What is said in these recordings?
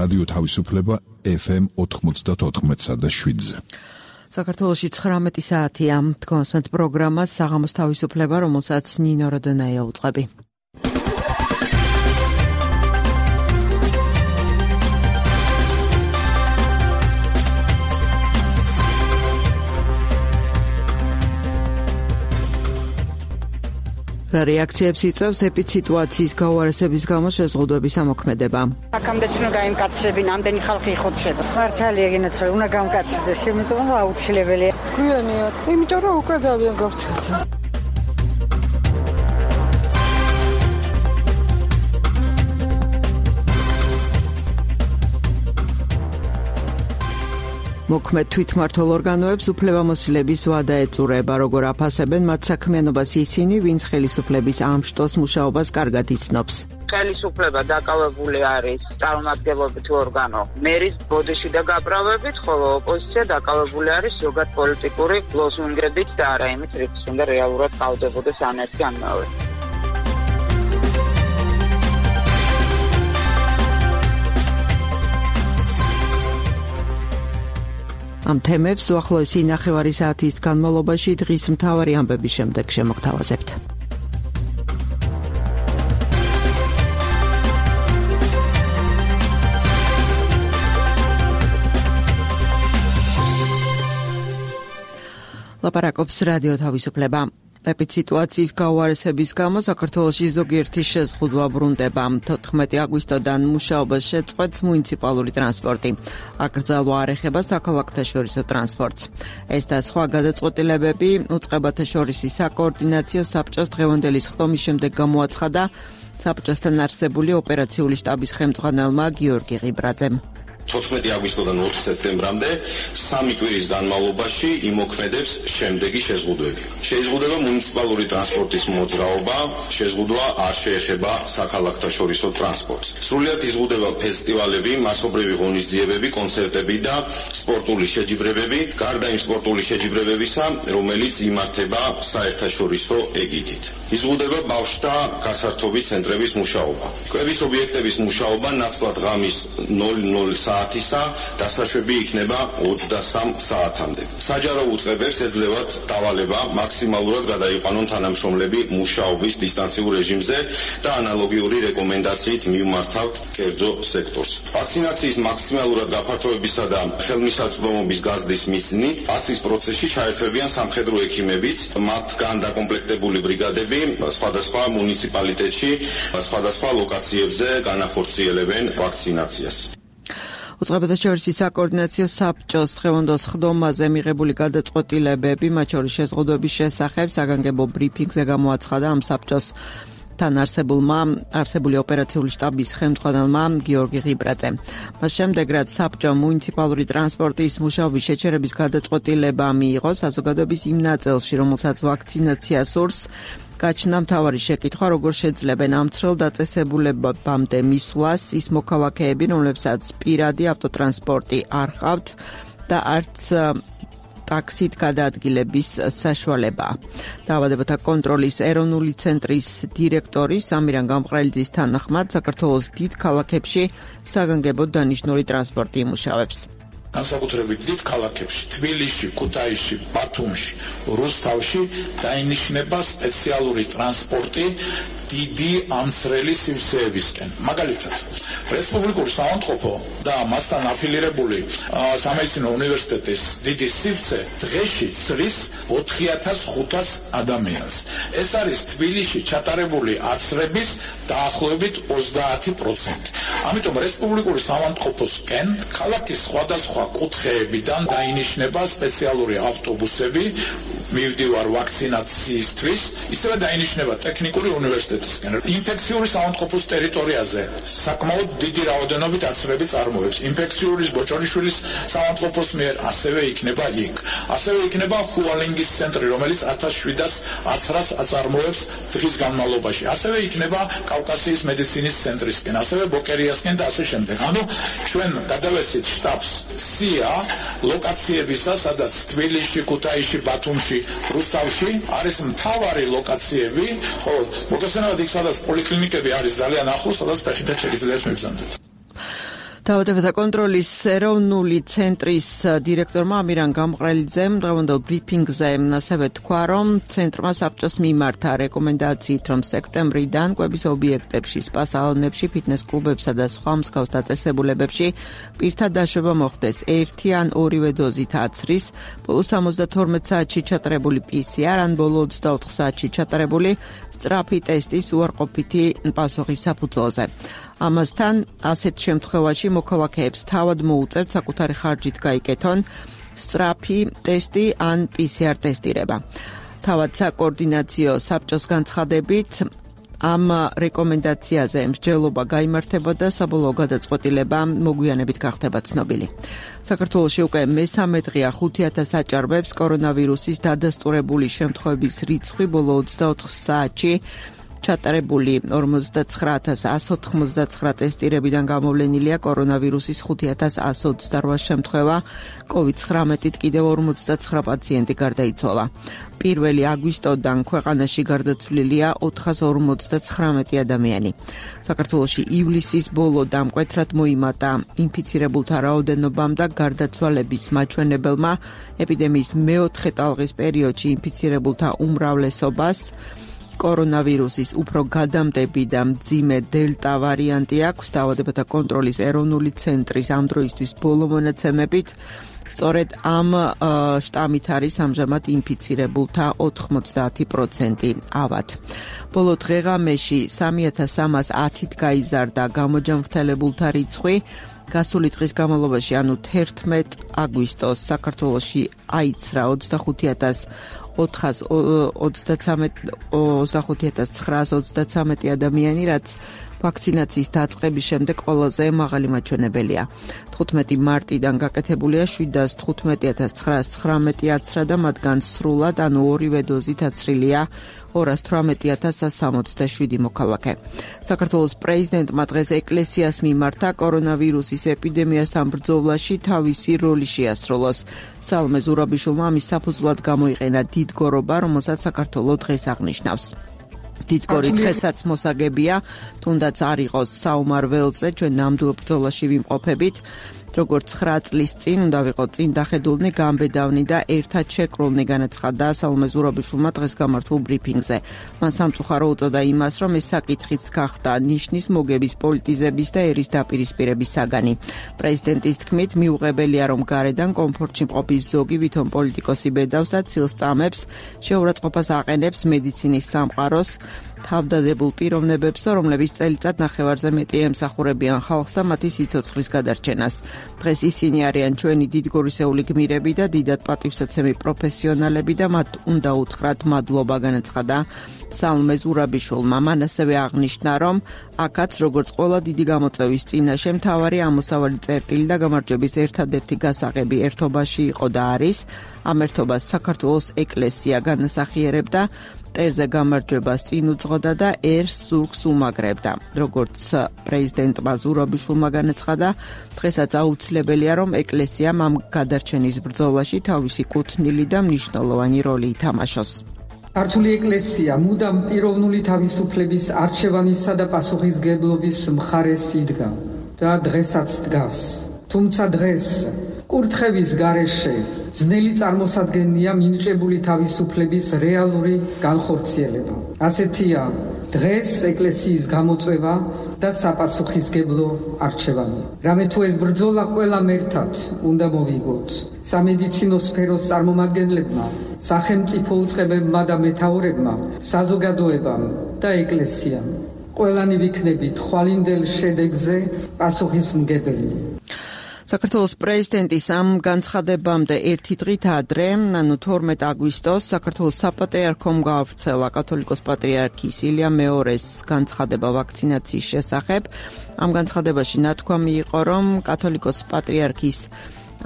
რადიო თავისუფლება FM 94.7-ზე. საქართველოში 19 საათია. თქვენს პროგრამას საღამოს თავისუფლება, რომელსაც ნინო როდონაია უწყები. რა რეაქციებს იწვევს ეპიდემიის გაუარესების გამო შეზღუდვების ამოქმედება? აქამდე უნდა გაიმკაცრებინ, ამდენი ხალხი იხოცება. მართალია გინაცვლა, უნდა გამკაცრდეს, იმიტომ რომ აუცილებელია. გვიანია, იმიტომ რომ უკვე ძალიან გავრცელდა. მოქმედ თვითმმართველ ორგანოებს უფლებამოსილების ვადა ეწურება, როგორ აფასებენ მათ საქმიანობას ისინი, ვინც ხელისუფლების ამ შტოს მუშაობას კარგად იცნობს. ხელისუფლება დაკავებული არის წარმომადგენლობით ორგანო მერის ბოდიში და გაправებით, ხოლო ოპოზიცია დაკავებული არის ზოგად პოლიტიკური ლოზუნგებით და არა იმით, რითიც უნდა რეალურად ყავდებოდეს ან ერთი ან მეორე. ამ თემებს უახლოესი ნახევარი საათის განმავლობაში დღის მთავარი ამბების შემდეგ შემოგთავაზებთ. ლაპარაკობს რადიო თავისუფლება. ეპიდემიის გაუარესების გამო საქართველოში ზოგიერთი შეზღუდვა ბრუნდება. 14 აგვისტოდან მუშაობას შეწყვეტს მუნიციპალური ტრანსპორტი. აკრძალვა არ ეხება საქალაქთაშორისო ტრანსპორტს. ეს და სხვა გადაწყვეტილებები უწყებათა შორის საკოორდინაციო საბჭოს დღევანდელი ხდომის შემდეგ გამოაცხადა საბჭოსთან არსებული ოპერაციული შტაბის ხელმძღვანელმა გიორგი ღიბრაძემ. 14 აგვისტოდან 20 სექტემბრამდე 3 კვირის განმავლობაში იმოქმედებს შემდეგი შეზღუდვები. შეიზღუდება მუნიციპალური ტრანსპორტის მოძრაობა, შეზღუდვა არ შეეხება საქალაქთაშორისო ტრანსპორტს. სრულიად იზღუდება ფესტივალები, მასობრივი ღონისძიებები, კონცერტები და სპორტული შეჯიბრებები, გარდა იმ სპორტული შეჯიბრებებისა, რომელიც იმართება საერთაშორისო ეგიდით. იზღუდება ბავშვთა გასართობი ცენტრების მუშაობა. კვების ობიექტების მუშაობა ნაცვლად ღამის 00 საათისა დასაშვები იქნება 23 საათამდე. საჯარო უწყებებს ეძლევათ დავალება მაქსიმალურად გადაიყვანონ თანამშრომლები მუშაობის დისტანციურ რეჟიმზე და ანალოგიური რეკომენდაციით მივმართავთ კერძო სექტორს. ვაქცინაციის მაქსიმალურად გაფართოებისა და ხელმისაწვდომობის გაზრდის მიზნით აცის პროცესში ჩაერთვებიან სამხედრო ექიმებიც, მათგან დაკომპლექტებული ბრიგადები სხვადასხვა მუნიციპალიტეტში, სხვადასხვა ლოკაციებზე განახორციელებენ ვაქცინაციას. უწყებათა შორის საკოორდინაციო საბჭოს დღევანდელ ხდომაზე მიღებული გადაწყვეტილებები, მათ შორის შეზღუდვების შესახებ საგანგებო ბრიფინგზე გამოაცხადა ამ საბჭოს თან არსებული ოპერაციული შტაბის ხელმძღვანელმა გიორგი ღიბრაძემ. მას შემდეგ, რაც საბჭომ მუნიციპალური ტრანსპორტის მუშაობის შეჩერების გადაწყვეტილება მიიღო საზოგადოების იმ ნაწილში, რომელსაც ვაქცინაცია სურს, გაჩნდა მთავარი შეკითხვა, როგორ შეძლებენ ამ ცრელ დაწესებულებამდე მისვლას ის მოქალაქეები, რომლებსაც პირადი ავტოტრანსპორტი არ ჰყავთ და არც ტაქსით გადაადგილების საშუალება. დაავადებათა კონტროლის ეროვნული ცენტრის დირექტორი სამირან გამყრელიძის თანახმად, საქართველოს დიდ ქალაქებში საგანგებოდ დანიშნული ტრანსპორტი იმუშავებს. განსაკუთრებით დიდ ქალაქებში, თბილისში, ქუთაისში, ბათუმში, რუსთავში დაინიშნება სპეციალური ტრანსპორტი დიდი ამცრელი სივრცეებისკენ. მაგალითად, რესპუბლიკური საავადმყოფო და მასთან აფილირებული სამედიცინო უნივერსიტეტის დიდი სივრცე დღეში ცრის 4500 ადამიანს. ეს არის თბილისში ჩატარებული აცრების დაახლოებით 30%. ამიტომ რესპუბლიკური საავადმყოფოსკენ ქალაქის სხვადასხვა კუთხეებიდან დაინიშნება სპეციალური ავტობუსები მივდივარ ვაქცინაციისთვის, ისევე დაინიშნება ტექნიკური უნივერსიტეტისკენ. ინფექციური საავადმყოფოს ტერიტორიაზე საკმაოდ დიდი რაოდენობით აცრები წარმოებს. ინფექციური ბოჭორიშვილის საავადმყოფოს მიერ ასევე იქნება იქ. ასევე იქნება ჰუალინგის ცენტრი, რომელიც 1700 აცრას აწარმოებს დღის განმავლობაში. ასევე იქნება კავკასიის მედიცინის ცენტრისკენ, ასევე ბოკერიასკენ და ასე შემდეგ. ანუ ჩვენ გადავეცით შტაბს სია ლოკაციებისა, სადაც თბილისში, ქუთაისში, ბათუმში, რუსთავში არის მთავარი ლოკაციები, ხოლო მოგესალმებით იქ სადაც პოლიკლინიკები არის ძალიან ახლოს, სადაც ფეხით შეგიძლიათ მეგზავნოთ. დაავადებათა კონტროლის ეროვნული ცენტრის დირექტორმა ამირან გამყრელიძემ დღევანდელ ბრიფინგზე ასევე თქვა, რომ ცენტრმა საბჭოს მიმართა რეკომენდაციით, რომ სექტემბრიდან კვების ობიექტებში, სპა-სალონებში, ფიტნეს კლუბებსა და სხვა მსგავს დაწესებულებებში პირთა დაშვება მოხდეს 1 ან 2 დოზით აცრის, ბოლო 72 საათში ჩატარებული PCR ან ბოლო 24 საათში ჩატარებული სწრაფი ტესტის უარყოფითი პასუხის საფუძველზე. ამასთან, ასეთ შემთხვევაში მოქალაქეებს თავად მოუწევთ საკუთარი ხარჯით გაიკეთონ სწრაფი ტესტი ან PCR ტესტირება. თავად საკოორდინაციო საბჭოს განცხადებით, ამ რეკომენდაციაზე მსჯელობა გაიმართებოდა და საბოლოო გადაწყვეტილება მოგვიანებით გახდება ცნობილი. საქართველოში უკვე მესამე დღეა 5000 აჭარბებს კორონავირუსის დადასტურებული შემთხვევების რიცხვი ბოლო 24 საათში ჩატარებული 49199 ტესტირებიდან გამოვლენილია კორონავირუსის 5128 შემთხვევა, COVID-19-ით კიდევ 59 პაციენტი გარდაიცვალა. 1 აგვისტოდან ქვეყანაში გარდაცვლილია 459 ადამიანი. საქართველოში ივლისის ბოლოდან მკვეთრად მოიმატა ინფიცირებულთა რაოდენობამ და გარდაცვალების მაჩვენებელმა ეპიდემიის მეოთხე ტალღის პერიოდში ინფიცირებულთა უმრავლესობას კორონავირუსის უფრო გადამდები და მძიმე დელტა ვარიანტი აქვს. დაავადებათა კონტროლის ეროვნული ცენტრის ამ დროისთვის ბოლო მონაცემებით სწორედ ამ შტამით არის ამჟამად ინფიცირებულთა 90% ავად. ბოლო დღეღამეში 3310-ით გაიზარდა გამოჯანმრთელებულთა რიცხვი. გასული დღის განმავლობაში, ანუ 11 აგვისტოს საქართველოში აიცრა 25933 ადამიანი, რაც ვაქცინაციის დაწყების შემდეგ ყველაზე მაღალი მაჩვენებელია. 15 მარტიდან გაკეთებულია 715919 აცრა და მათგან სრულად, ანუ 2 დოზით აცრილია 218167 მოქალაქე. საქართველოს პრეზიდენტმა დღეს ეკლესიას მიმართა კორონავირუსის ეპიდემიასთან ბრძოლაში თავისი როლი შეასრულოს. სალმე ზურაბიშვილმა ამის საფუძვლად გამოიყენა დიდგორობა, რომელსაც საქართველო დღეს აღნიშნავს. დიდგორი დღესაც მოსაგებია, თუნდაც არ იყოს საომარ ველზე, ჩვენ ნამდვილ ბრძოლაში ვიმყოფებით. როგორც 9 წლის წინ უნდა ვიყოთ წინ დახედულნი, გამბედავნი და ერთად შეკრულნი, განაცხადა სალმე ზურაბიშვილმა დღეს გამართულ ბრიფინგზე. მან სამწუხარო უწოდა იმას, რომ ეს საკითხიც გახდა ნიშნის მოგების, პოლიტიზების და ერის დაპირისპირების საგანი. პრეზიდენტის თქმით, მიუღებელია, რომ გარედან კომფორტში მყოფის ზოგი ვითომ პოლიტიკოსი ბედავს და ცილს წამებს, შეურაცხყოფას აყენებს მედიცინის სამყაროს, თავდადებულ პიროვნებებს, რომლებიც წელიწად ნახევარზე მეტი ემსახურებიან ხალხს და მათი სიცოცხლის გადარჩენას. დღეს ისინი არიან ჩვენი დიდგორისეული გმირები და დიდად პატივსაცემი პროფესიონალები და მათ უნდა უთხრათ მადლობა, განაცხადა სალმე ზურაბიშვილმა. მან ასევე აღნიშნა, რომ აქაც როგორც ყველა დიდი გამოწვევის წინაშე მთავარი ამოსავალი წერტილი და გამარჯვების ერთადერთი გასაღები ერთობაში იყო და არის. ამ ერთობას საქართველოს ეკლესია განასახიერებდა, მტერზე გამარჯვებას წინ უძღოდა და ერს ზურგს უმაგრებდა. როგორც პრეზიდენტმა ზურაბიშვილმა განაცხადა, დღესაც აუცილებელია, რომ ეკლესიამ ამ გადარჩენის ბრძოლაში თავისი კუთვნილი და მნიშვნელოვანი როლი ითამაშოს. ქართული ეკლესია მუდამ პიროვნული თავისუფლების არჩევანისა და პასუხისმგებლობის მხარეს იდგა და დღესაც დგას. თუმცა დღეს კურთხევის გარეშე ძნელი წარმოსადგენია მინიჭებული თავისუფლების რეალური განხორციელება. ასეთია დღეს ეკლესიის გამოწვევა და საპასუხისმგებლო არჩევანი. რამე თუ ეს ბრძოლა ყველამ ერთად უნდა მოვიგოთ. სამედიცინო სფეროს წარმომადგენლებმა, სახელმწიფო უწყებებმა და მეთაურებმა, საზოგადოებამ და ეკლესიამ. ყველანი ვიქნებით ხვალინდელ შედეგზე პასუხისმგებელი. საქართველოს პრეზიდენტის ამ განცხადებამდე ერთი დღით ადრე, ანუ 12 აგვისტოს, საქართველოს საპატრიარქომ გაავრცელა კათოლიკოს პატრიარქის ილია მეორეს განცხადება ვაქცინაციის შესახებ. ამ განცხადებაში ნათქვამი იყო, რომ კათოლიკოს პატრიარქის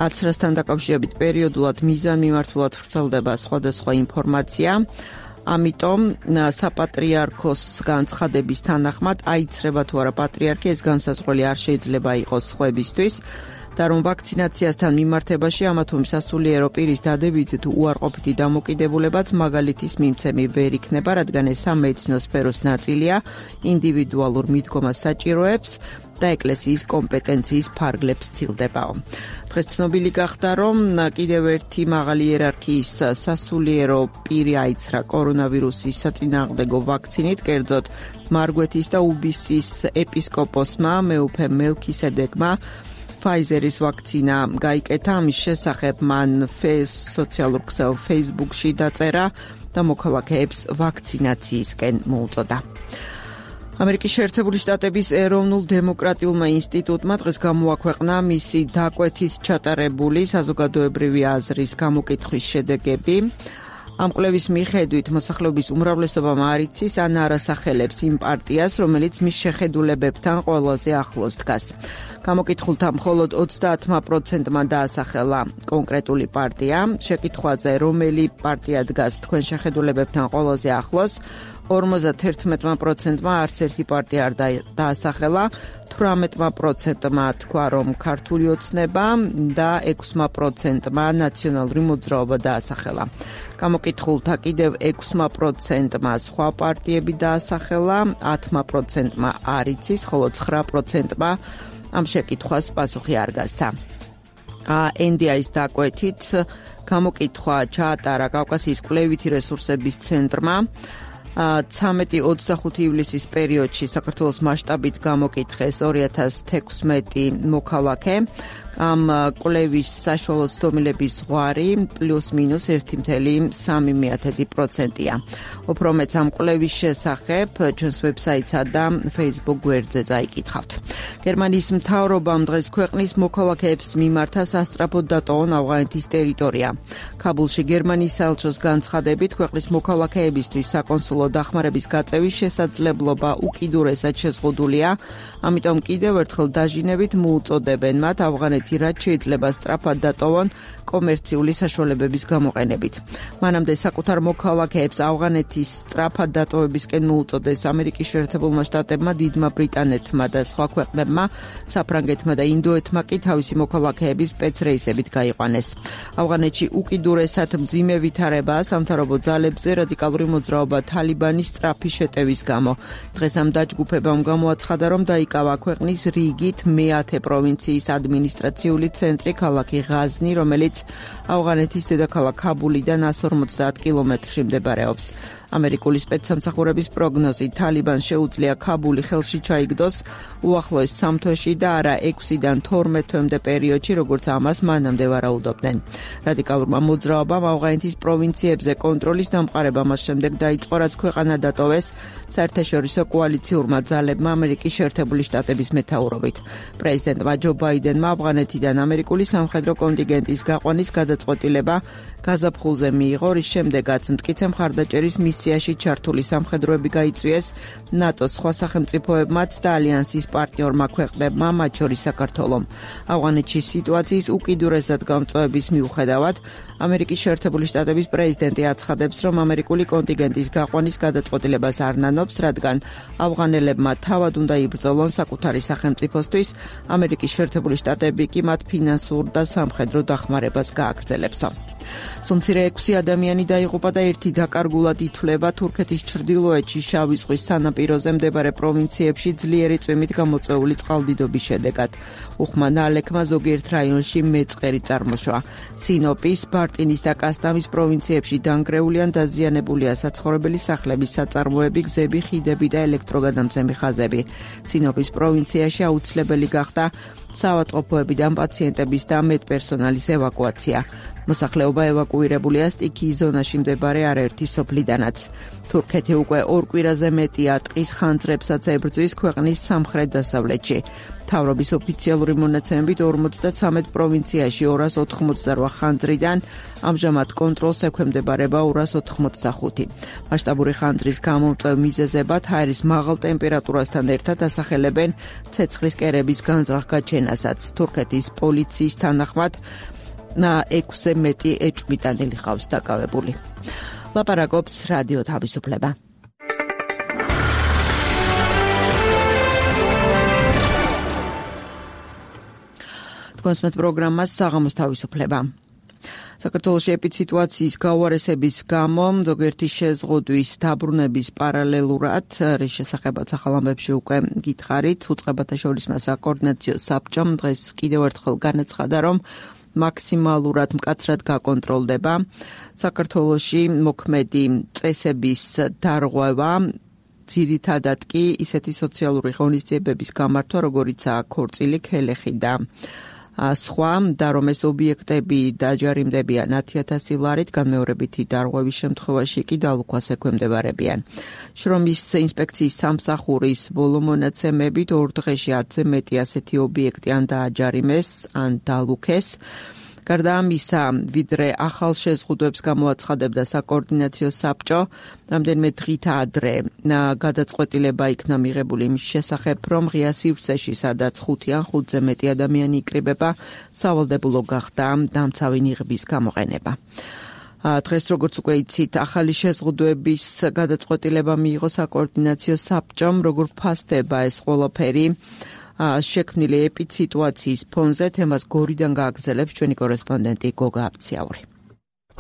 აცრასთან დაკავშირებით პერიოდულად მიზანმიმართულად ვრცელდება სხვადასხვა ინფორმაცია. ამიტომ საპატრიარქოს განცხადების თანახმად აიცრება თუ არა პატრიარქი, ეს განსაზღვრელი არ შეიძლება იყოს სხვებისთვის. და რომ ვაქცინაციასთან მიმართებაში ამა თუ სასულიერო პირის დადებითი თუ უარყოფითი დამოკიდებულებაც მაგალითის მიმცემი ვერ იქნება, რადგან ეს სამედიცინო სფეროს ნაწილია, ინდივიდუალურ მიდგომას საჭიროებს და ეკლესიის კომპეტენციის ფარგლებს ცილდებაო. დღეს ცნობილი გახდა, რომ კიდევ ერთი მაღალი იერარქიის სასულიერო პირი აიცრა კორონავირუსის საწინააღმდეგო ვაქცინით, კერძოდ მარგვეთის და უბისის ეპისკოპოსმა მეუფე მელქისედეკმა Pfizer-ის ვაქცინა გაიკეთა. ამის შესახებ მან სოციალურ ქსელ Facebook-ში დაწერა და მოქალაქეებს ვაქცინაციისკენ მოუწოდა. ამერიკის შეერთებული შტატების ეროვნულ დემოკრატიულმა ინსტიტუტმა დღეს გამოაქვეყნა მისი დაკვეთით ჩატარებული საზოგადოებრივი აზრის გამოკითხვის შედეგები. ამ კვლევის მიხედვით მოსახლეობის უმრავლესობა არ იცის ან არ ასახელებს იმ პარტიას, რომელიც მის შეხედულებებთან ყველაზე ახლოს დგას. გამოკითხულთა მხოლოდ 30%-მა დაასახელა კონკრეტული პარტია. შეკითხვაზე, რომელი პარტია დგას თქვენ შეხედულებებთან ყველაზე ახლოს, 51%-მა არც ერთი პარტია არ დაასახელა, 18%-მა თქვა, რომ ქართული ოცნება და 6%-მა ნაციონალური მოძრაობა დაასახელა. გამოკითხულთა კიდევ 6%-მა სხვა პარტიები დაასახელა, 10%-მა არ იცის, ხოლო 9%-მა ამ შეკითხვას პასუხი არ გასცა. NDI-ის დაკვეთით გამოკითხვა ჩაატარა კავკასიის კვლევითი რესურსების ცენტრმა. 13-25 ივლისის პერიოდში საქართველოს მასშტაბით გამოკითხეს 2016 მოქალაქე. ამ კვლევის საშუალო ცდომილების ზღვარი პლუს-მინუს 1.3%-ია. უფრო მეტ ამ კვლევის შესახებ ჩვენს ვებსაიტსა და Facebook გვერდზე წაიკითხავთ. გერმანიის მთავრობამ დღეს ქვეყნის მოქალაქეებს მიმართა სასწრაფოდ დატოვონ ავღანეთის ტერიტორია. ქაბულში გერმანიის საელჩოს განცხადებით, ქვეყნის მოქალაქეებისთვის საკონსულო დახმარების გაწევის შესაძლებლობა უკიდურესად შეზღუდულია, ამიტომ კიდევ ერთხელ დაჟინებით მოუწოდებენ მათ ავღანეთი რაც შეიძლება სწრაფად დატოვონ კომერციული საშუალებების გამოყენებით. მანამდე საკუთარ მოქალაქეებს ავღანეთის სწრაფად დატოვებისკენ მოუწოდეს ამერიკის შეერთებულმა შტატებმა, დიდმა ბრიტანეთმა და სხვა ქვეყნებმა, საფრანგეთმა და ინდოეთმა კი თავისი მოქალაქეების სპეცრეისებით გაიყვანეს. ავღანეთში უკიდურესად მძიმე ვითარებაა სამთავრობო ძალებზე რადიკალური მოძრაობა თალიბანის სწრაფი შეტევის გამო. დღეს ამ დაჯგუფებამ გამოაცხადა, რომ დაიკავა ქვეყნის რიგით მე-10 პროვინციის ადმინისტრაციული ცენტრი ქალაქი ღაზნი, რომელიც ავღანეთის დედაქალაქ ქაბულიდან 150 კილომეტრში მდებარეობს. ამერიკული სპეცსამსახურების პროგნოზით თალიბანს შეუძლია ქაბული ხელში ჩაიგდოს უახლოეს 3 თვეში და არა 6-დან 12 თვემდე პერიოდში, როგორც ამას მანამდე ვარაუდობდნენ. რადიკალურმა მოძრაობამ ავღანეთის პროვინციებზე კონტროლის დამყარება მას შემდეგ დაიწყო, რაც ქვეყანა დატოვეს საერთაშორისო კოალიციურმა ძალებმა ამერიკის შეერთებული შტატების მეთაურობით. პრეზიდენტმა ჯო ბაიდენმა ავღანეთიდან ამერიკული სამხედრო კონტინგენტის გაყვანის გადაწყვეტილება გაზაფხულზე მიიღო, რის შემდეგაც მტკიცე მხარდაჭერის მისიაში ჩართული სამხედროები გაიწვიეს ნატოს სხვა სახელმწიფოებმაც და ალიანსის პარტნიორმა ქვეყნებმა, მათ შორის საქართველომ. ავღანეთში სიტუაციის უკიდურესად გამწვავების მიუხედავად, ამერიკის შეერთებული შტატების პრეზიდენტი აცხადებს, რომ ამერიკული კონტინგენტის გაყვანის გადაწყვეტილებას არ ნანობს, რადგან ავღანელებმა თავად უნდა იბრძოლონ საკუთარი სახელმწიფოსთვის, ამერიკის შეერთებული შტატები კი მათ ფინანსურ და სამხედრო დახმარებას გააგრძელებსო. სუმცირე 6 ადამიანი დაიღუპა და ერთი დაკარგულად ითვლება თურქეთის ჩრდილოეთში შავი ზღვის სანაპიროზე მდებარე პროვინციებში ძლიერი წვიმით გამოწვეული წყალდიდობის შედეგად. უხმა ნალექმა ზოგიერთ რაიონში მეწყერი წარმოშვა. სინოპის, ბარტინის და კასტამის პროვინციებში დანგრეული ან დაზიანებულია საცხოვრებელი სახლების საწარმოები, გზები, ხიდები და ელექტროგადამცემი ხაზები. სინოპის პროვინციაში აუცილებელი გახდა საავადმყოფოებიდან პაციენტების და მედპერსონალის ევაკუაცია. მოსახლეობა ევაკუირებულია სტიქიის ზონაში მდებარე არაერთი სოფლიდანაც. თურქეთი უკვე 2 კვირაზე მეტია ტყის ხანძრებსაც ებრძვის ქვეყნის სამხრეთ-დასავლეთში. მთავრობის ოფიციალური მონაცემებით 53 პროვინციაში 288 ხანძრიდან ამჟამად კონტროლს ექვემდებარება 285. მასშტაბური ხანძრის გამომწვევ მიზეზებად ჰაერის მაღალ ტემპერატურასთან ერთად ასახელებენ ცეცხლის კერების განზრახ გაჩენასაც. თურქეთის პოლიციის თანახმად 6-ზე მეტი ეჭვმიტანილი ყავს დაკავებული. ლაპარაკობს რადიო თავისუფლება. კონსმეთ პროგრამას საღამოს თავისუფლება. საქართველოში ეპიდსიტუაციის გაუარესების გამო ზოგიერთი შეზღუდვის დაბრუნების პარალელურად, რის შესახებაც ახალ ამბებში უკვე გითხარით, უწყებათა შორის საკოორდინაციო საბჭომ დღეს კიდევ ერთხელ განაცხადა, რომ მაქსიმალურად მკაცრად გაკონტროლდება საქართველოში მოქმედი წესების დარღვევა, ძირითადად კი ისეთი სოციალური ღონისძიებების გამართვა, როგორიცაა ქორწილი, ქელეხი და სხვა, და რომ ეს ობიექტები დაჯარიმდებიან 10,000 ლარით, განმეორებითი დარღვევის შემთხვევაში კი დალუქვას ექვემდებარებიან. შრომის ინსპექციის სამსახურის ბოლო მონაცემებით 2 დღეში 10-ზე მეტი ასეთი ობიექტი ან დააჯარიმეს, ან დალუქეს. გარდა ამისა, ვიდრე ახალ შეზღუდვებს გამოაცხადებდა საკოორდინაციო საბჭო, რამდენიმე დღით ადრე გადაწყვეტილება იქნა მიღებული იმის შესახებ, რომ ღია სივრცეში, სადაც 5 ან 5-ზე მეტი ადამიანი იკრიბება, სავალდებულო გახდა დამცავი ნიღბის გამოყენება. დღეს, როგორც უკვე იცით, ახალი შეზღუდვების გადაწყვეტილება მიიღო საკოორდინაციო საბჭომ, როგორ ფასდება ეს ყველაფერი შექმნილი ეპიდსიტუაციის ფონზე. თემას გორიდან გააგრძელებს ჩვენი კორესპონდენტი გოგა აბციაური.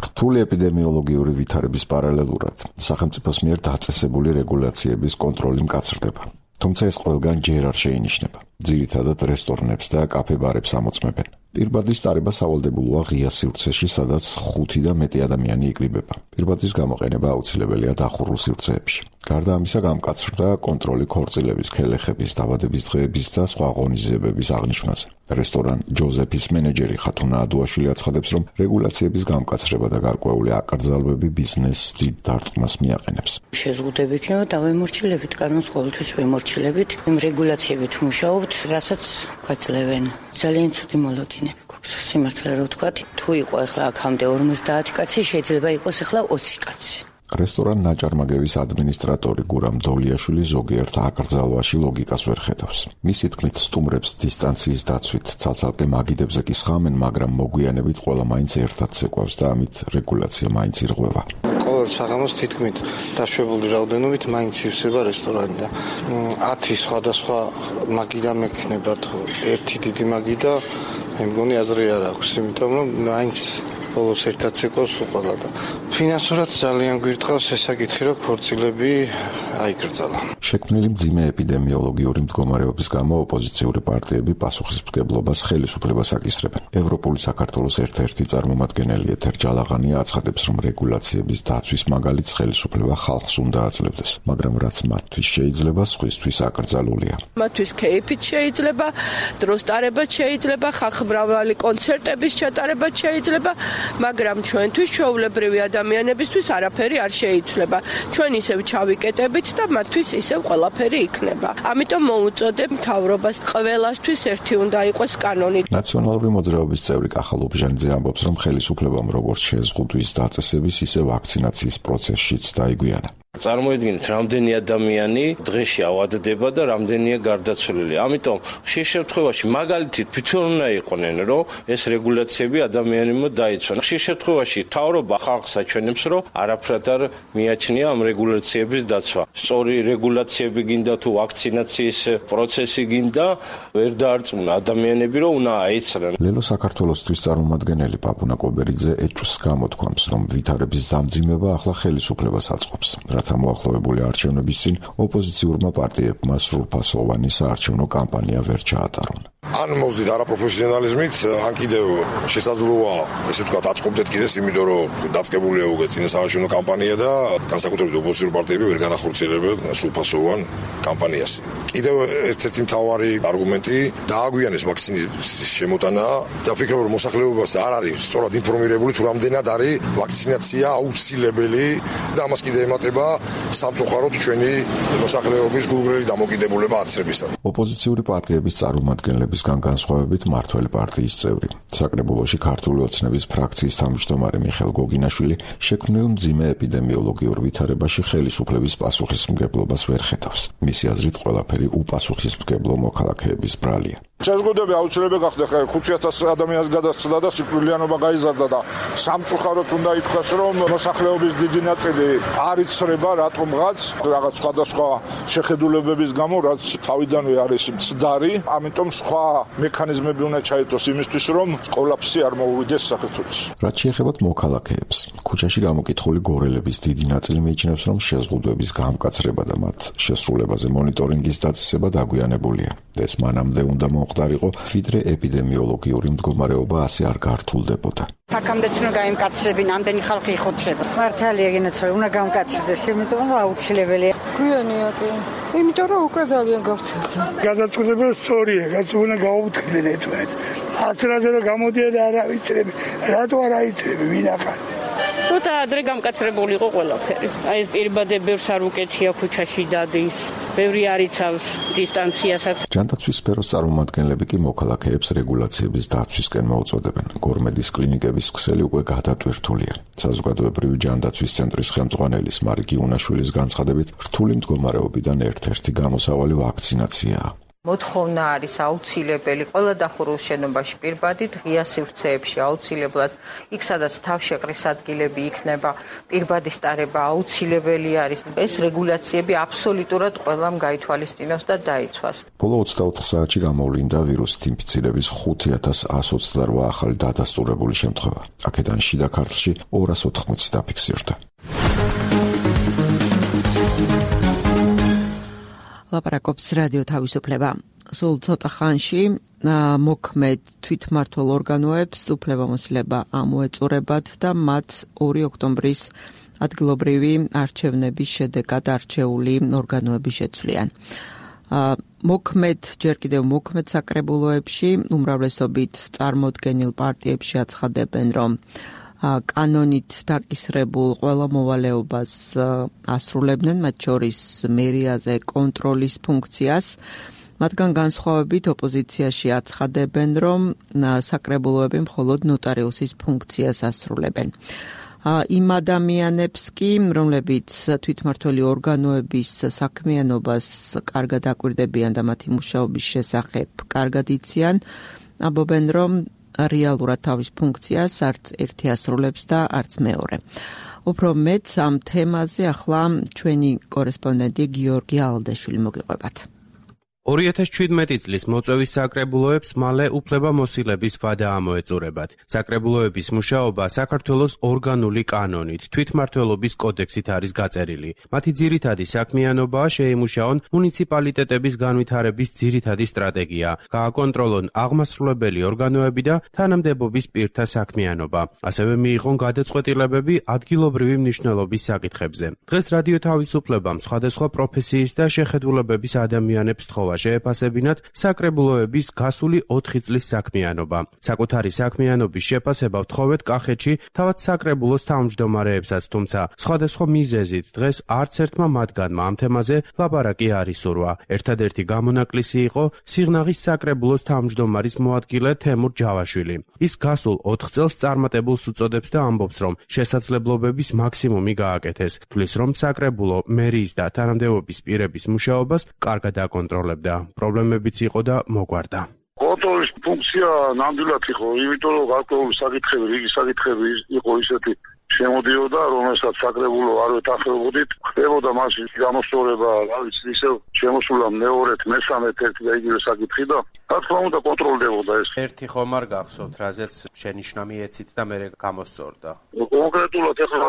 რთული ეპიდემიოლოგიური ვითარების პარალელურად სახელმწიფოს მიერ დაწესებული რეგულაციების კონტროლი მკაცრდება. თუმცა ეს ყველგან ჯერ არ შეინიშნება. ძირითადად რესტორნებს და კაფე-ბარებს ამოწმებენ. პირბადის ტარება სავალდებულოა ღია სივრცეში, სადაც 5 და მეტი ადამიანი იკრიბება. პირბადის გამოყენება აუცილებელია დახურულ სივრცეებში. გარდა ამისა, გამკაცრდა კონტროლი ქორწილების, ქელეხების, დაბადების დღეების და სხვა ღონისძიებების აღნიშვნაზე. რესტორან ჯოზეფის მენეჯერი ხათუნა ადუაშვილი აცხადებს, რომ რეგულაციების გამკაცრება და გარკვეული აკრძალვები ბიზნესს დიდ დარტყმას მიაყენებს. შეზღუდებით დავემორჩილებით, კანონს ყოველთვის ვემორჩილებით, იმ რეგულაციებით ვმუშაობთ, რასაც გვაძლევენ. ძალიან ცუდი მოლოდინები გვაქვს. სიმართლე რა ვთქვათ, თუ იყო ახლა აქამდე 50 კაცი, შეიძლება იყოს ახლა 20 კაცი. რესტორან ნაჭარმაგევის ადმინისტრატორი გურამ დოლიაშვილი ზოგიერთ აკრძალვაში ლოგიკას ვერ ხედავს. მისი თქმით, სტუმრებს დისტანციის დაცვით ცალ-ცალკე მაგიდებზე კი სხამენ, მაგრამ მოგვიანებით ყველა მაინც ერთად ცეკვავს და ამით რეგულაცია მაინც ირღვევა. ყოველ საღამოს თითქმით დაშვებული რაოდენობით მაინც ივსება რესტორანი და 10 სხვადასხვა მაგიდა მექნებათ, ერთი დიდი მაგიდა, მე მგონი აზრი არ აქვს, იმიტომ რომ მაინც ბოლოს ერთად ცეკვავს უყალა და ფინანსურად ძალიან გვირტყავს ეს საკითხი, რომ ქორწილები აიკრძალა. შექმნილი მძიმე ეპიდემიოლოგიური მდგომარეობის გამო ოპოზიციური პარტიები პასუხისმგებლობას ხელისუფლებას აკისრებენ. ევროპული საქართველოს ერთ-ერთი წარმომადგენელი ეთერ ჯალაღანია აცხადებს, რომ რეგულაციების დაცვის მაგალითს ხელისუფლება ხალხს უნდა აძლევდეს, მაგრამ რაც მათთვის შეიძლება, სხვისთვის აკრძალულია. მათთვის კეიფით შეიძლება, დროს ტარებაც შეიძლება, ხალხმრავალი კონცერტების ჩატარებაც შეიძლება, მაგრამ ჩვენთვის, ჩვეულებრივი ადამიანებისთვის არაფერი არ შეიცვლება. ჩვენ ისევ ჩავიკეტებით და მათთვის ისევ ყველაფერი იქნება. ამიტომ მოუწოდებ მთავრობას, ყველასთვის ერთი უნდა იყოს კანონი. ნაციონალური მოძრაობის წევრი კახალ უბჟანიძე ამბობს, რომ ხელისუფლებამ როგორც შეზღუდვის დაწესების, ისე ვაქცინაციის პროცესშიც დაიგვიანა. წარმოიდგინეთ, რამდენი ადამიანი დღეში ავადდება და რამდენია გარდაცვლილი. ამიტომ ხშირ შემთხვევაში მაგალითით თვითონ უნდა იყვნენ, რომ ეს რეგულაციები ადამიანებმა დაიცვან. ხშირ შემთხვევაში მთავრობა ხალხს აჩვენებს, რომ არაფრად არ მიაჩნია ამ რეგულაციების დაცვა. სწორი რეგულაციები გინდა თუ ვაქცინაციის პროცესი გინდა, ვერ დაარწმუნა ადამიანები, რომ უნდა აიცრან. ლელო საქართველოსთვის წარმომადგენელი პაპუნა კობერიძე ეჭვს გამოთქვამს, რომ ვითარების დამძიმება ახლა ხელისუფლებას აწყობს. რათა მოახლოვებული არჩევნების წინ ოპოზიციურმა პარტიებმა სრულფასოვანი საარჩევნო კამპანია ვერ ჩაატარონ. ან მოძდით არაპროფესიონალიზმით, ან კიდევ შესაძლოა, ესე ვთქვათ, აწყობდეთ კიდეს, იმიტომ რომ დაწყებულია უკვე წინა საარჩევნო კამპანია და განსაკუთრებით ოპოზიციური პარტიები ვერ განახორციელებენ სრულფასოვან კამპანიას. კიდევ ერთ-ერთი მთავარი არგუმენტი დააგვიანეს ვაქცინის შემოტანა და ფიქრობ, რომ მოსახლეობას არ არის სწორად ინფორმირებული თუ რამდენად არის ვაქცინაცია აუცილებელი და ამას კიდე ემატება სამწუხაროდ ჩვენი მოსახლეობის გულგრელი დამოკიდებულება აცრებისა. ოპოზიციური პარტიების წარმომადგენლებისგან განსხვავებით მართველი პარტიის წევრი, საკრებულოში ქართული ოცნების ფრაქციის თავმჯდომარე მიხეილ გოგინაშვილი შექმნილ მძიმე ეპიდემიოლოგიურ ვითარებაში ხელისუფლების პასუხისმგებლობას ვერ ხედავს. მისი აზრით ყველაფერი უპასუხისმგებლო მოქალაქეების ბრალია. შეზღუდვები აუცილებელი გახდა, ხა 5000 ადამიანს გადასცდა და სიკვდილიანობა გაიზარდა და სამწუხაროდ უნდა ითქვას, რომ მოსახლეობის დიდი ნაწილი არ იცრება რატომღაც რაღაც სხვადასხვა შეხედულებების გამო, რაც თავიდანვე არის მცდარი, ამიტომ სხვა მექანიზმები უნდა ჩაერთოს იმისთვის, რომ კოლაფსი არ მოუვიდეს საქართველოს. რაც შეეხება მოქალაქეებს, ქუჩაში გამოკითხული გორელების დიდი ნაწილი მიიჩნევს, რომ შეზღუდვების გამკაცრება და მათ შესრულებაზე მონიტორინგის დაწესება დაგვიანებულია. ეს მანამდე უნდა მოხდარიყო, ვიდრე ეპიდემიოლოგიური მდგომარეობა ასე არ გართულდებოდა. აქამდეც უნდა გაიმკაცრებინ, ამდენი ხალხი იხოცება. მართალია გენაცვალე, უნდა გამკაცრდეს, იმიტომ რომ აუცილებელია. გვიანია კი. იმიტომ რომ უკვე ძალიან გავრცელდა. გადაწყვეტილება სწორია, უნდა გაუთხდნენ ერთმანეთს. აცრაზე რომ გამოდიან და არ ავიწრები, რატო არ აიწრები, ვინ ახარ? ცოტა ადრე გამკაცრებული იყო ყველაფერი. აი ეს პირბადები ბევრს არ უკეთია ქუჩაში დადის. ბევრი არ იცავს დისტანციასაც. ჯანდაცვის სფეროს წარმომადგენლები კი მოქალაქეებს რეგულაციების დაცვისკენ მოუწოდებენ. გორმედის კლინიკების ქსელი უკვე გადატვირთულია. საზოგადოებრივი ჯანდაცვის ცენტრის ხელმძღვანელის მარიკი უნაშვილის განცხადებით, რთული მდგომარეობიდან ერთ-ერთი გამოსავალი ვაქცინაციაა. მოთხოვნა არის აუცილებელი ყველა დახურულ შენობაში პირბადით, ღია სივრცეებში აუცილებლად, იქ სადაც თავშეყრის ადგილები იქნება, პირბადის ტარება აუცილებელი არის. ეს რეგულაციები აბსოლუტურად ყველამ გაითვალისწინოს და დაიცვას. ბოლო 24 საათში გამოვლინდა ვირუსით ინფიცირების 5128 ახალი დადასტურებული შემთხვევა. აქედან შიდა ქართლში 280 დაფიქსირდა. ლაპარაკობს რადიო თავისუფლება. სულ ცოტა ხანში მოქმედ თვითმმართველ ორგანოებს უფლებამოსილება ამოეწურებათ და მათ 2 ოქტომბრის ადგილობრივი არჩევნების შედეგად არჩეული ორგანოები შეცვლიან. ჯერ კიდევ მოქმედ საკრებულოებში უმრავლესობით წარმოდგენილ პარტიებში აცხადებენ, რომ კანონით დაკისრებულ ყველა მოვალეობას ასრულებდნენ, მათ შორის მერიაზე კონტროლის ფუნქციას. მათგან განსხვავებით ოპოზიციაში აცხადებენ, რომ საკრებულოები მხოლოდ ნოტარიუსის ფუნქციას ასრულებენ. იმ ადამიანებს კი, რომლებიც თვითმმართველი ორგანოების საქმიანობას კარგად აკვირდებიან და მათი მუშაობის შესახებ კარგად იციან, ამბობენ, რომ რეალურად თავის ფუნქციას არც ერთი ასრულებს და არც მეორე. უფრო მეც ამ თემაზე ახლა ჩვენი კორესპონდენტი გიორგი ალდეშვილი მოგიყვებათ. 2017 წლის მოწვევის საკრებულოებს მალე უფლებამოსილების ვადა ამოეწურებათ. საკრებულოების მუშაობა საქართველოს ორგანული კანონით, თვითმმართველობის კოდექსით არის გაწერილი. მათი ძირითადი საქმიანობაა შეიმუშაონ მუნიციპალიტეტების განვითარების ძირითადი სტრატეგია, გააკონტროლონ აღმასრულებელი ორგანოები და თანამდებობის პირთა საქმიანობა. ასევე მიიღონ გადაწყვეტილებები ადგილობრივი მნიშვნელობის საკითხებზე. დღეს რადიო თავისუფლებამ სხვადასხვა პროფესიის და შეხედულებების ადამიანებს თხოვა შეეფასებინათ საკრებულოების გასული 4 წლის საქმიანობა. საკუთარი საქმიანობის შეფასება ვთხოვეთ კახეთში თავად საკრებულოს თავმჯდომარეებსაც, თუმცა სხვადასხვა მიზეზით დღეს არც ერთმა მათგანმა ამ თემაზე ლაპარაკი არ ისურვა. ერთადერთი გამონაკლისი იყო სიღნაღის საკრებულოს თავმჯდომარის მოადგილე თემურ ჯავაშვილი. ის გასულ 4 წელს წარმატებულს უწოდებს და ამბობს, რომ შესაძლებლობების მაქსიმუმი გააკეთეს. თვლის, რომ საკრებულო მერიის და თანამდებობის პირების მუშაობას კარგად აკონტროლებდა. პრობლემებიც იყო და მოგვარდა. კონტროლის ფუნქცია ნამდვილად იყო, იმიტომ რომ გარკვეული საკითხები, რიგი საკითხები იყო ისეთი შემოდიოდა, რომელსაც საკრებულო არ ვეთანხმებოდით, ხდებოდა მასში გამოსწორება, რა ვიცი, ისევ შემოსულა მეორედ, მესამედ ერთი და იგივე საკითხი და რა თქმა უნდა კონტროლდებოდა ეს. ერთი ხომ არ გახსოვთ, რაზეც შენიშვნა მიეცით და მე გამოსწორდა. კონკრეტულად ეხლა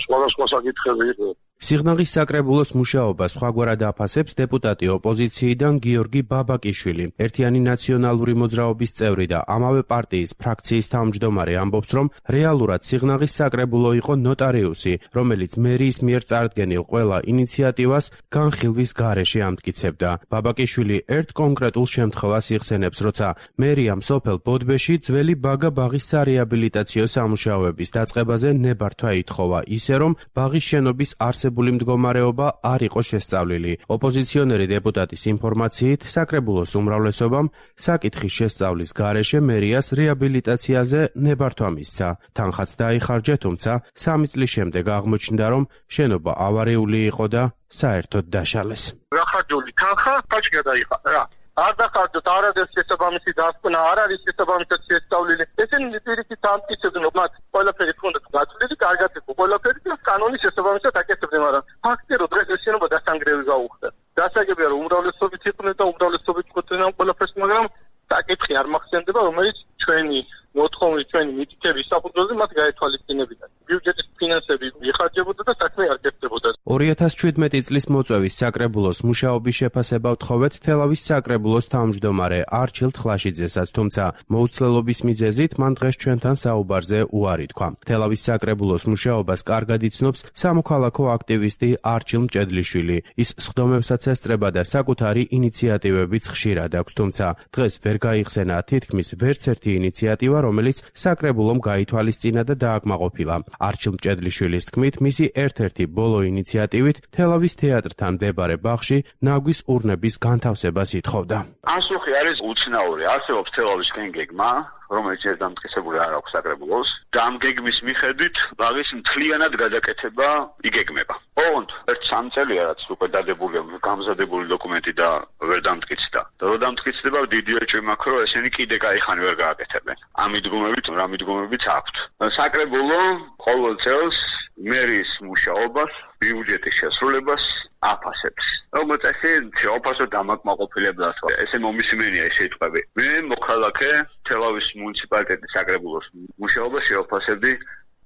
სხვადასხვა საკითხები იყო. სიღნაღის საკრებულოს მუშაობა სხვაგვარად აფასებს დეპუტატი ოპოზიციიდან გიორგი ბაბაკიშვილი. ერთიანი ნაციონალური მოძრაობის წევრი და ამავე პარტიის ფრაქციის თავმჯდომარე ამბობს, რომ რეალურად სიღნაღის საკრებულო იყო ნოტარიუსი, რომელიც მერიის მიერ წარდგენილ ყველა ინიციატივას განხილვის გარეშე ამტკიცებდა. ბაბაკიშვილი ერთ კონკრეტულ შემთხვევას იხსენებს, როცა მერიამ სოფელ ბოდბეში ძველი ბაგა ბაღის სარეაბილიტაციო სამუშაოების დაწყებაზე ნებართვა ითხოვა, ისე რომ ბაღის შენობის არსებული მდგომარეობა არ იყო შესწავლილი. ოპოზიციონერი დეპუტატის ინფორმაციით, საკრებულოს უმრავლესობამ საკითხის შესწავლის გარეშე მერიას რეაბილიტაციაზე ნებართვა მისცა. თანხაც დაიხარჯა, თუმცა 3 წლის შემდეგ აღმოჩნდა, რომ შენობა ავარიული იყო და საერთოდ დაშალეს. გახარჯული თანხა, ხაჭი გადაიხარა. არ დახარჯოთ არადეს შესაბამისი დასკვნა, არ არის შესაბამისად შესწავლილი. ესენი პირიქით ამტკიცებდნენ, მათ ყველაფერი ჰქონდათ გაწვლილი, კარგად იყო ყველაფერი და კანონის შესაბამისად აკეთებდნენ, მაგრამ ფაქტია, რომ დღეს ეს შენობა დასანგრევი გაუხდა. დასაგებია, რომ უმრავლესობით იყვნენ და უმრავლესობით ყოფილან ყველაფერს, მაგრამ საკითხი არ მახსენდება, რომელიც ჩვენი მოთხოვნით, ჩვენი მითითების საფუძველზე მათ გაეთვალისწინებინა. ბიუჯეტის ფინანსები იხარჯებოდა და საქმე არ გეწდებოდა. 2017 წლის მოწვევის საკრებულოს მუშაობის შეფასება ვთხოვეთ თელავის საკრებულოს თავმჯდომარე არჩილ ხლაშიძესაც, თუმცა მოუცლელობის მიზეზით მან დღეს ჩვენთან საუბარზე უარი თქვა. თელავის საკრებულოს მუშაობას კარგად იცნობს სამოქალაქო აქტივისტი არჩილ მჭედლიშვილი. ის სხდომებსაც ესწრება და საკუთარი ინიციატივებიც ხშირად აქვს, თუმცა დღეს ვერ გაიხსენა თითქმის ვერც ერთი ინიციატივა, რომელიც საკრებულომ გაითვალისწინა და დააკმაყოფილა. არჩილ მჭედლიშვილის თქმით, მისი ერთ-ერთი ბოლო ინიციატივით თელავის თეატრთან მდებარე ბაღში ნაგვის ურნების განთავსებას ითხოვდა. ასუხი არის უცნაური, არსებობს თელავისკენ გეგმა, რომელიც ეს დამტკიცებული არ აქვს საკრებულოს და ამ გეგმის მიხედვით ბაღის მთლიანად გადაკეთება იგეგმება. ოღონდ ერთ 3 წელია რაც უკვე დადებულია გამზადებული დოკუმენტი და ვერ დამტკიცდა. და რო დამტკიცდება დიდი ეჭვი მაქვს, რომ ესენი კიდე кайხანი ვერ გააკეთებენ. ამ მიდგომებით რა მიდგომებიც აქვთ. საკრებულო ყოველ წელს მერის მუშაობას, ბიუჯეტის შესრულებას აფასებს. როგორც ესე შეოფასო დამაკმაყოფილებლად ესე მომისმენია ეს სიტყვები. მე მოქალაქე თელავის მუნიციპალიტეტის საკრებულოს მუშაობას შეოფასებდი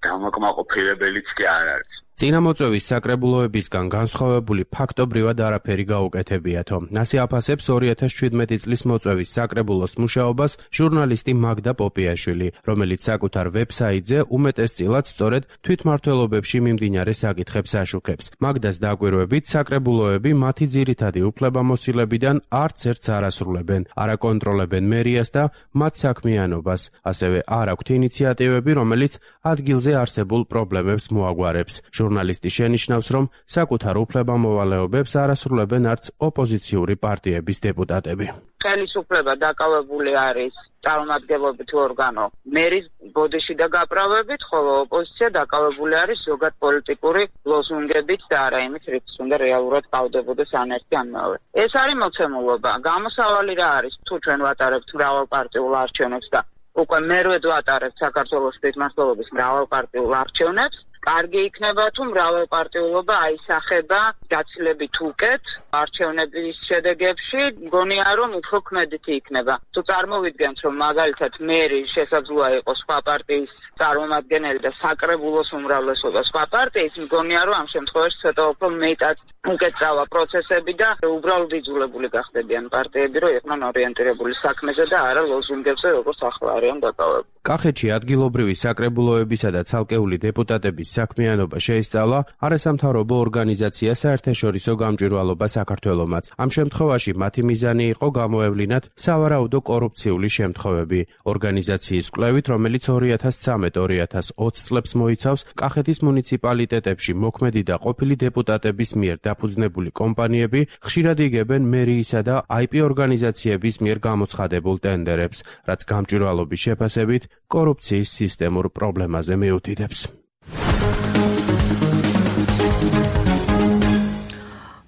დამაკმაყოფილებელიც კი არ არის. წინამოწვევის საკრებულოებისგან განსხვავებული ფაქტობრივად არაფერი გაუკეთებიათო. ასე აფასებს 2017 წლის მოწვევის საკრებულოს მუშაობას ჟურნალისტი მაგდა პოპიაშვილი, რომელიც საკუთარ ვებსაიტზე უმეტესწილად სწორედ თვითმმართველობებში მიმდინარე საკითხებს აშუქებს. მაგდას დაკვირვებით, საკრებულოები მათი ძირითადი უფლებამოსილებიდან არც ერთს არ ასრულებენ, არ აკონტროლებენ მერიას და მათ საქმიანობას, ასევე არ აქვთ ინიციატივები, რომელიც ადგილზე არსებულ პრობლემებს მოაგვარებს. ჟურნალისტი შენიშნავს, რომ საკუთარ უფლებამოვალეობებს არ ასრულებენ არც ოპოზიციური პარტიების დეპუტატები. ხელისუფლება დაკავებული არის წარმომადგენლობით ორგანო მერის ბოდიში და გაправებით, ხოლო ოპოზიცია დაკავებული არის ზოგად პოლიტიკური ლოზუნგებით და არა იმით, რითიც უნდა რეალურად ყავდებოდეს ან ერთი ან მეორე. ეს არის მოცემულობა. გამოსავალი რა არის? თუ ჩვენ ვატარებთ მრავალპარტიულ არჩევნებს და უკვე მერვედ ვატარებთ საქართველოს თვითმმართველობის მრავალპარტიულ არჩევნებს, კარგი იქნება თუ მრავალპარტიულობა აისახება გაცილებით უკეთ არჩევნების შედეგებში, მგონია რომ უფრო ქმედითი იქნება. თუ წარმოვიდგენთ რომ მაგალითად მერი შესაძლოა იყოს სხვა პარტიის წარმომადგენელი და საკრებულოს უმრავლესობა სხვა პარტიის, მგონია რომ ამ შემთხვევაში ცოტა უფრო მეტად უკეთწავა პროცესები და უბრალოდ იძულებული გახდებიან პარტიები, რომ იყვნენ ორიენტირებული საქმეზე და არა ლოზუნგებზე, როგორც ახლა არიან დაკავებული. კახეთში ადგილობრივი საკრებულოებისა და ცალკეული დეპუტატების საქმიანობა შეისწავლა არასამთავრობო ორგანიზაცია საერთაშორისო გამჭვირვალობა საქართველომაც. ამ შემთხვევაში მათი მიზანი იყო გამოევლინათ სავარაუდო კორუფციული შემთხვევები. ორგანიზაციის კვლევით, რომელიც 2013-2020 წლებს მოიცავს, კახეთის მუნიციპალიტეტებში მოქმედი და ყოფილი დეპუტატების მიერ დაფუძნებული კომპანიები ხშირად იგებენ მერიისა და IP ორგანიზაციების მიერ გამოცხადებულ ტენდერებს, რაც გამჭვირვალობის შეფასებით კორუფციის სისტემურ პრობლემაზე მიუთითებს.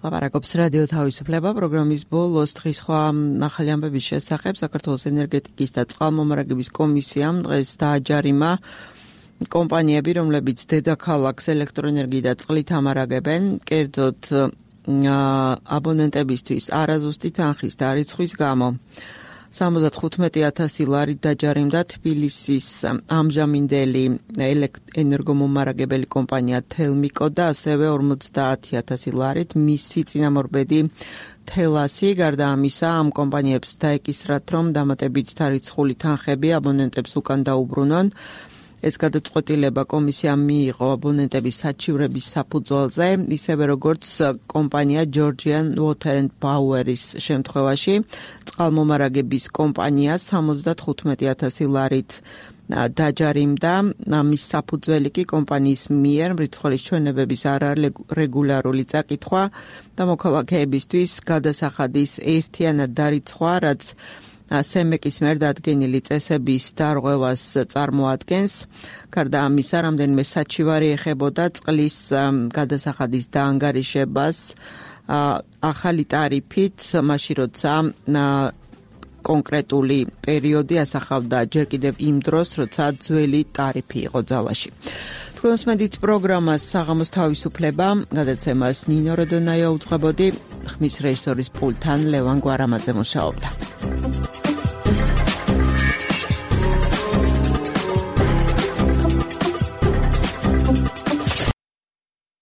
ლაპარაკობს რადიო თავისუფლება პროგრამის ბოლოს დღის სხვა ახალი ამბების შესახებ. საქართველოს ენერგეტიკის და წყალმომარაგების კომისიამ დღეს დააჯარიმა კომპანიები, რომლებიც დედაქალაქს ელექტროენერგიით და წყლით ამარაგებენ, კერძოდ აბონენტებისთვის არაზუსტი თანხის დარიცხვის გამო. 75,000 ლარით დაჯარიმდა თბილისის ამჟამინდელი ენერგომომარაგებელი კომპანია თელმიკო და ასევე 50,000 ლარით მისი წინამორბედი თელასი. გარდა ამისა, ამ კომპანიებს დაეკისრათ, რომ დამატებით დარიცხული თანხები აბონენტებს უკან დაუბრუნონ. ეს გადაწყვეტილება კომისიამ მიიღო აბონენტების საჩივრების საფუძველზე, ისევე როგორც კომპანია Georgian Water and Power-ის შემთხვევაში. წყალმომარაგების კომპანია 75,000 ლარით დაჯარიმდა. ამის საფუძველი კი კომპანიის მიერ მრიცხველის ჩვენებების არარეგულარული წაკითხვა და მოქალაქეებისთვის გადასახადის ერთიანად დარიცხვა, რაც სემეკის მიერ დადგენილი წესების დარღვევას წარმოადგენს. გარდა ამისა, რამდენიმე საჩივარი ეხებოდა წყლის გადასახადის დაანგარიშებას ახალი ტარიფით, მაშინ როცა კონკრეტული პერიოდი ასახავდა ჯერ კიდევ იმ დროს, როცა ძველი ტარიფი იყო ძალაში. თქვენს მედით პროგრამას საღამოს თავისუფლება, გადაცემას ნინო როდონაია უძღვებოდი, ხმის რეჟისორის პულტთან ლევან გვარამაძე მუშაობდა.